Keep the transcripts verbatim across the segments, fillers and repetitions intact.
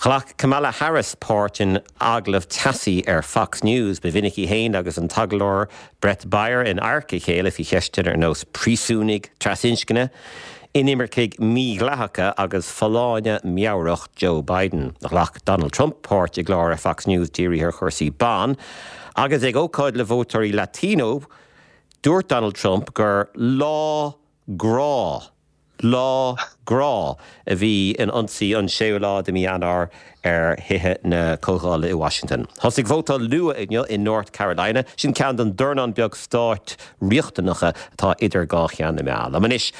Ghlac Kamala Harris páirt in agallamh teasaí ar Fox News ba mhinic í féin agus an t-agallóir Bret Baier in adharca a chéile faoi cheisteanna ar nós príosúnaigh trasinscne, inimircigh mhídhleathacha agus folláine meabhrach Joe Biden. Ghlac Donald Trump páirt i gclár ar Fox News dírithe ar chúrsaí ban, agus ag ócáid le vótóirí Latino, dúirt Donald Trump gur lá grá lá grá a bhí in ionsaí an séú lá de mhí Eanáir ar thithe na Comhdhála i Washington. Thosaigh vótáil luath inniu in North Carolina, sin ceann den dornán beag stáit riachtanacha atá idir dhá cheann na meá. Anois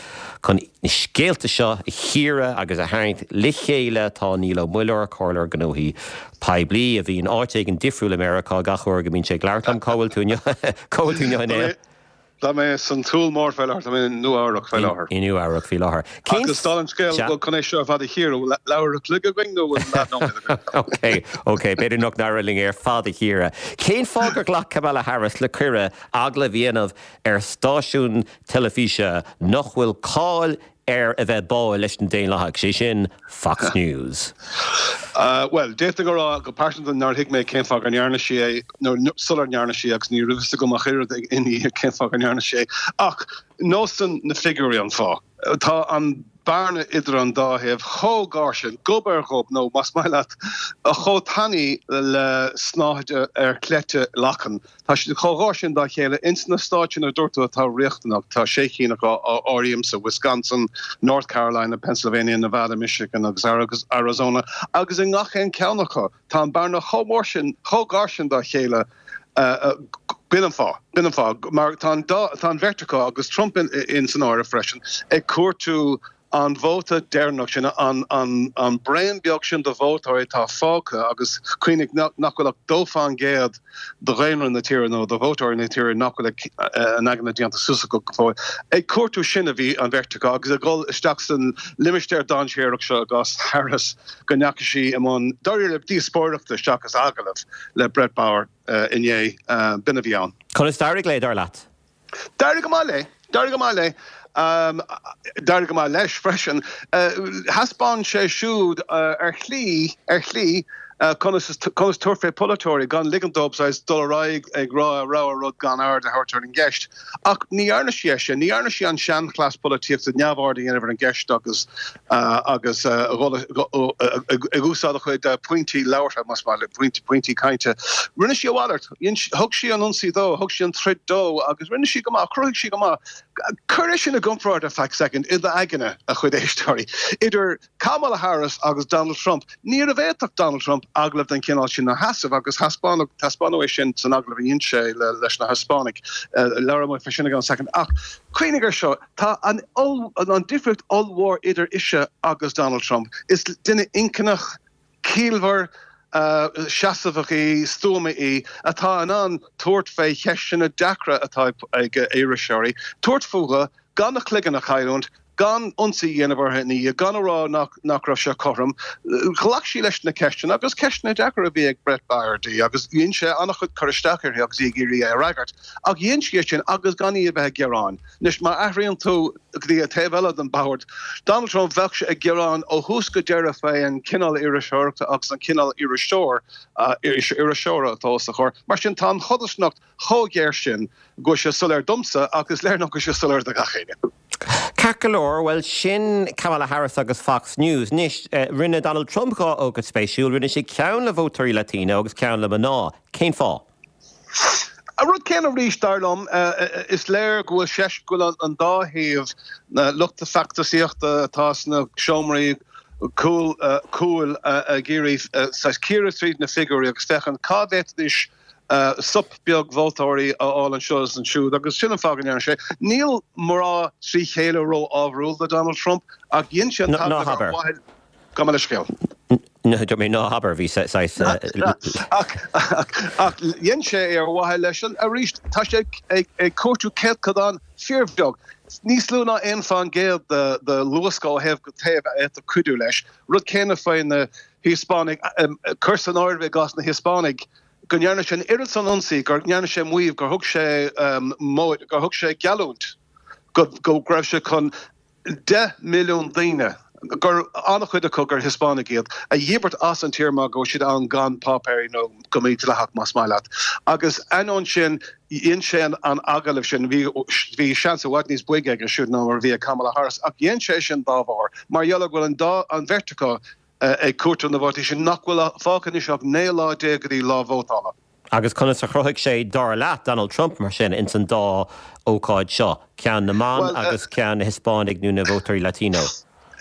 chun na scéalta seo a chíoradh agus a tharraingt le chéile tá Niall Ó Muilleoir comhairleoir gnóthaí poiblí a bhíonn áit éigin difriúil i Meiriceá gach uair go mbíonn sé ag labhairt liom cá bhfuil tú inniu? Tá mé san Túr Mór faoi láthair, tá mé in Nua-Eabhrac faoi láthair. In Nua-Eabhrac faoi láthair. Agus tá an scéal chun é seo ar fad a chíoradh leathuair an chloig againn nó Ok, Ok, b'fhéidir nach n-éireoidh linn ar fad a chíoradh. Cén fáth gur ghlac Kamala Harris le cuireadh agallamh a dhéanamh ar stáisiún teilifíse nach bhfuil cáil air a bheith báúil leis na Daonlathaigh, sé sin Fox News. Uh, well, d'fhéadfainn a rá go pearsanta nár thuig mé cén fáth go ndearna sí é nó sular ndearna sí agus ní raibh a fhios agam ach oiread inné cén fáth go ndearna sí é. Ach nósan na figiúirí an fáth. Tá an bearna idir an dá thaobh chomh gar sin gob ar ghob nó más maith leat chomh tanaí le snáthaid ar chleite lachan. Tá siad chomh gar sin dá chéile ins na stáit sin a dúirt tú atá riachtanach tá sé cinn acu a áirímse Wisconsin, North Carolina, Pennsylvania, Nevada, Michigan agus Arizona agus i ngach aon cheann acu tá an bearna chomh mór sin chomh gar sin dá chéile uh, B'in an fáth b'in an fáth mar tá tá an bheirt acu agus Trump in, in san áireamh freisin ag cuartú an vóta deireanach sin an, an, an braon beag sin de vótóirí atá fágtha agus cuimhnigh nach bhfuil ach dó faoin gcéad de dhaonra na tíre nó de vótóirí na tíre nach bhfuil a n-aigne déanta suas go fóill. Ag cuartú sin a bhí an bheirt acu agus ag dul isteach san limistéar dainséarach seo i gcás Harris go ndeachaigh sí i mbun dáiríre díospóireachta seachas agallamh le Bret Baier uh, inné uh, b'in a bhí ann. Conas d'éirigh léi dar leat? D'éirigh go maith léi, d'éirigh go maith léi. Um, d'éirigh go maith leis freisin. Uh, Thaispeáin sé siúd uh, ar shlí ar shlí uh, conas conas tabhairt fé polaiteoirí gan ligean dóibh dul ar aghaidh ag rá a rogha rud gan aird a thabhairt ar an gceist. Ach ní dhearna sí é sin, ní dhearna sí an seanchleas polaitíochta neamhaird a dhéanamh ar an gceist agus uh, agus uh, ag úsáid a chuid pointí labhartha más maith leat pointí cainte. Rinne sí a mhalairt, thug sí an ionsaí dó, thug sí an troid dó agus rinne sí go maith, chruthaigh sí go maith. Cuir sin i gcomparáid ar feadh second i d'aigne a chuid éisteoirí. Idir Kamala Harris agus Donald Trump, ní bhféadfadh Donald Trump agallamh den chineál sin a sheasamh agus taispeánadh é sin san agallamh a dhein sé leis na Hispanic labhróidh muid faoi sin i gceann second. Ach cuimhnigh air seo tá an an difríocht ollmhór idir ise agus Donald Trump. Is duine inchinneach ciallmhar uh, seasamhach í stuama í atá in ann tabhairt fé cheisteanna deacra atá ag iriseoirí, tabhairt fúthu gan a cloigeann a chailliúint, gan ionsaí a dhéanamh uirthi ní gan a rá nach nach raibh sé cothrom. Ghlac sí leis na ceisteanna agus ceisteanna deacra a bhí ag Bret Baier di agus dhein sé an-chuid cur isteach uirthi agus í ag iarraidh é a fhreagairt. Ach dhein sí sin agus gan í a bheith ag gearán. Anois má athraíonn tú go dtí an taobh eile den bhord. Donald Trump bheadh sé ag gearán ó thús go deireadh fé an cineál iriseoireachta agus an cineál iriseoir iriseora atá os a chomhair. Mar sin tá an chodarsnacht chomh géar sin go bhfuil sé soiléir domsa agus léir nach bhfuil sé soiléir do gach éinne. Ceart go leor well sin Kamala Harris agus Fox News. Anois uh, rinne Donald Trump dhá ócáid spéisiúil, rinne sé ceann le vótóirí Latino agus ceann le mná. Cén fáth? An rud céanna arís dar liom is léir go bhfuil sé go bhfuil an dá thaobh na lucht feachtasaíochta atá sna seomraí cúil cúil ag iarraidh cíoradh tríd na figiúirí agus féachaint cá bhféadfaidís sop beag vótóirí a fháil anseo is ansiúd agus sin an fáth go ndearna sé. Níl mná trí chéile ró-ábharúil do Donald Trump ach dhein sé ná habair. Gabh mo leithscéal. mé ná habair bhí ach dhein sé ar mhaithe leis an arís tá sé ag cuartú céatadán fíorbheag. Níos lú ná aon faoin gcéad de luascadh ó thaobh go taobh a fhéadfadh cuidiú leis. Rud céanna faoi na Hispanic cuir san áireamh i gcás na Hispanic go ndearna sé an oiread san ionsaí gur ndearna sé maíomh gur thug sé gur thug sé geallúint go go raibh sé chun deich milliún daoine gur an-chuid acu gur Hispánaigh iad, a dhíbirt as an tír mar go bhfuil siad ann gan páipéirí nó go mídhleathach más maith leat. Agus ainneoin sin dhein sé an agallamh sin bhí bhí seans i bhfad níos boige aige siúd ná mar a bhí ag Kamala Harris ach dhein sé sin dá bharr mar gheall go bhfuil an dá an bheirt acu ag cuartú na vótaí sin nach bhfuil fágtha anois ach naoi lá déag go dtí lá vótála. Agus conas a chruthaigh sé dar leat Donald Trump mar sin ins an dá ócáid seo, ceann na mban agus ceann na Hispánaigh nó na vótóirí Latino?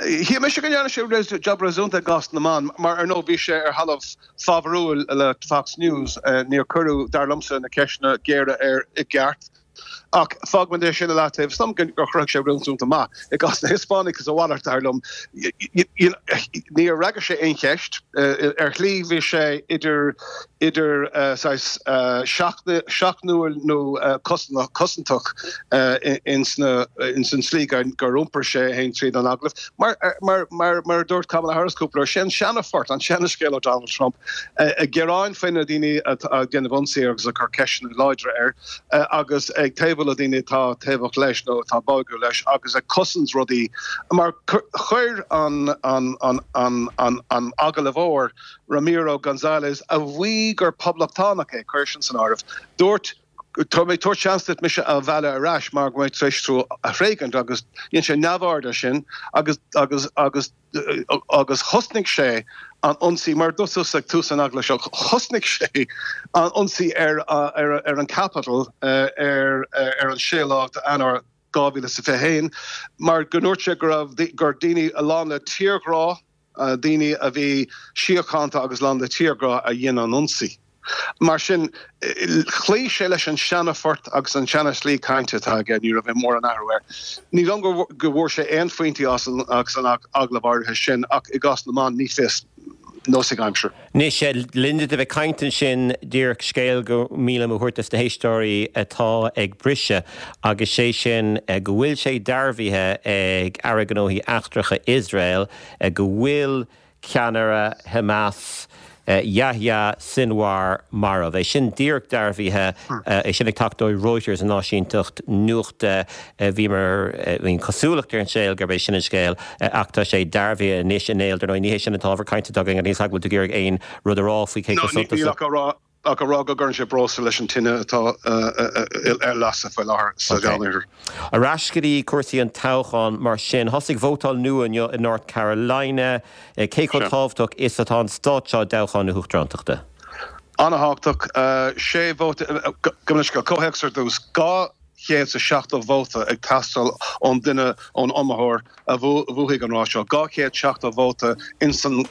Shíl mise go ndearna sé jab réasúnta i gcás na mban, mar ar ndóigh bhí sé ar thalamh fábharúil le Fox News, níor cuireadh dar liomsa na ceisteanna géara air i gceart. Ach fágfaidh mé sin i leataobh, is dóigh liom gur chruthaigh sé réasúnta maith. I gcás na Hispánaigh is a mhalairt dar liom, níor fhreagair sé aon cheist. Ar shlí bhí sé idir idir saghas seachnúil nó cosantach ins an tslí gur iompair sé é féin tríd an agallamh. Mar mar mar a dúirt Kamala Harris cúpla uair, sé an seana-phort, an seana-scéal ó Donald Trump, ag gearán faoi na daoine atá ag déanamh ionsaí air agus ag cur ceisteanna láidre air agus ag taobhú le daoine atá taobhach leis nó atá báúil leis agus ag cosaint rudaí mar chuir an an an an an an agallóir Ramiro Gonzalez a mhaígh gur poblachtánach é, cuir sin san áireamh, dúirt Tá mé ag tabhairt seans duit mise a mhealladh ar ais mar go mbeidh tar éis tú a thréigint agus dhein sé neamhaird air sin agus agus agus agus thosnaigh sé an ionsaí mar dúirt tusa ag tús an agallaimh seo thosnaigh sé an ionsaí ar ar ar an Capitol ar ar an séú lá d'Eanáir dhá mhíle is a fiche a haon mar go ndúirt sé go raibh gur daoine a lán le tírghrá daoine a bhí síochánta agus lán le tírghrá a dhein an ionsaí. Mar sin, chloígh sé leis an seana-phort agus an seana-shlí cainte atá aige, ní raibh mórán athrú air. Ní dóigh liom go bhfuair sé aon phointí as an agallamh áirithe sin ach i gcás na mban, ní fios, nós ag aimsir. Anois, le linn duit a bheith ag caint ansin, díreach scéal go mian liom a thabhairt dos na héisteoirí atá ag briseadh agus sé sin go bhfuil sé dearbhaithe ag Aire Gnóthaí Eachtracha Iosrael go bhfuil ceannaire Hamas, Yahya Sinwar marbh. É sin díreach dearbhaithe, é sin ag teacht ó Reuters an áisínteacht nuachta. Bhíomar, bhí an chosúlacht ar an scéal gurb é sin an scéal ach tá sé dearbhaithe anois inné. Dar ndóigh ní hé sin an t-ábhar cainte atá againn agus níl a fhios agam an bhfuil tú ag iarraidh aon rud a rá faoi cé chomh suntasach. Níl ach a rá ach a rá go gcuireann sé breosla leis an tine atá ar lasadh faoi láthair sa Mheánoirthear. Ar ais go dtí cúrsaí an toghcháin mar sin. Thosaigh vótáil nua inniu i North Carolina. Cé chomh tábhachtach is atá an stát seo i dtoghchán na huachtarántachta? An-thábhachtach. Sé vóta, gabh mo leithscéal, comhthéacs ar dtús, dhá chéad is a seachtó vóta ag teastáil ón duine, ón iomaitheoir a bhuafaidh an rás seo. Dhá chéad seachtó vóta ins an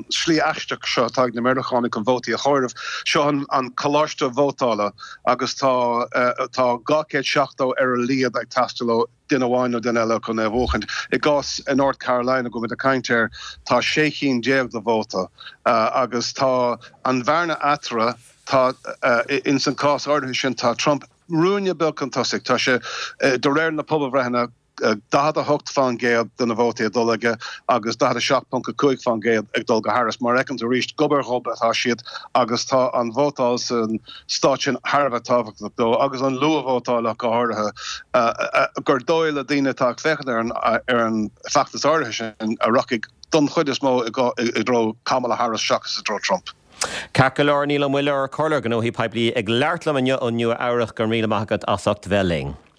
slí aisteach seo atá ag na Meiriceánaigh chun vótaí a chomhaireamh. Seo an coláiste vótála agus tá tá dhá chéad seachtó ar a laghad ag teastáil ó duine amháin nó duine eile chun é a bhuachaint. I gcás North Carolina go bhfuil muid ag caint air, tá sé chinn déag de vóta agus tá an bhearna eatarthu, tá ins an cás áirithe sin tá Trump ruainne beag chun tosaigh. Tá sé, de réir na pobalbhreitheanna, daichead a hocht faoin gcéad de na vótaí ag dul aige agus daichead a seacht ponc a cúig faoin gcéad ag dul go Harris. Mar a fheiceann tú arís, gob ar ghob atá siad agus tá an vótáil san stát sin thar a bheith tábhachtach dó agus an luathvótáil ach go háirithe, gur dóigh le daoine atá ag féachaint ar an feachtas áirithe sin a rachaidh don chuid is mó i dtreo Kamala Harris seachas i dtreo Trump. Ceart go leor, Niall Ó Muilleoir, Comhairleoir Gnóthaí Poiblí ag labhairt liom inniu ó Nua Eabhrac, go raibh míle maith agat as ucht bheith linn.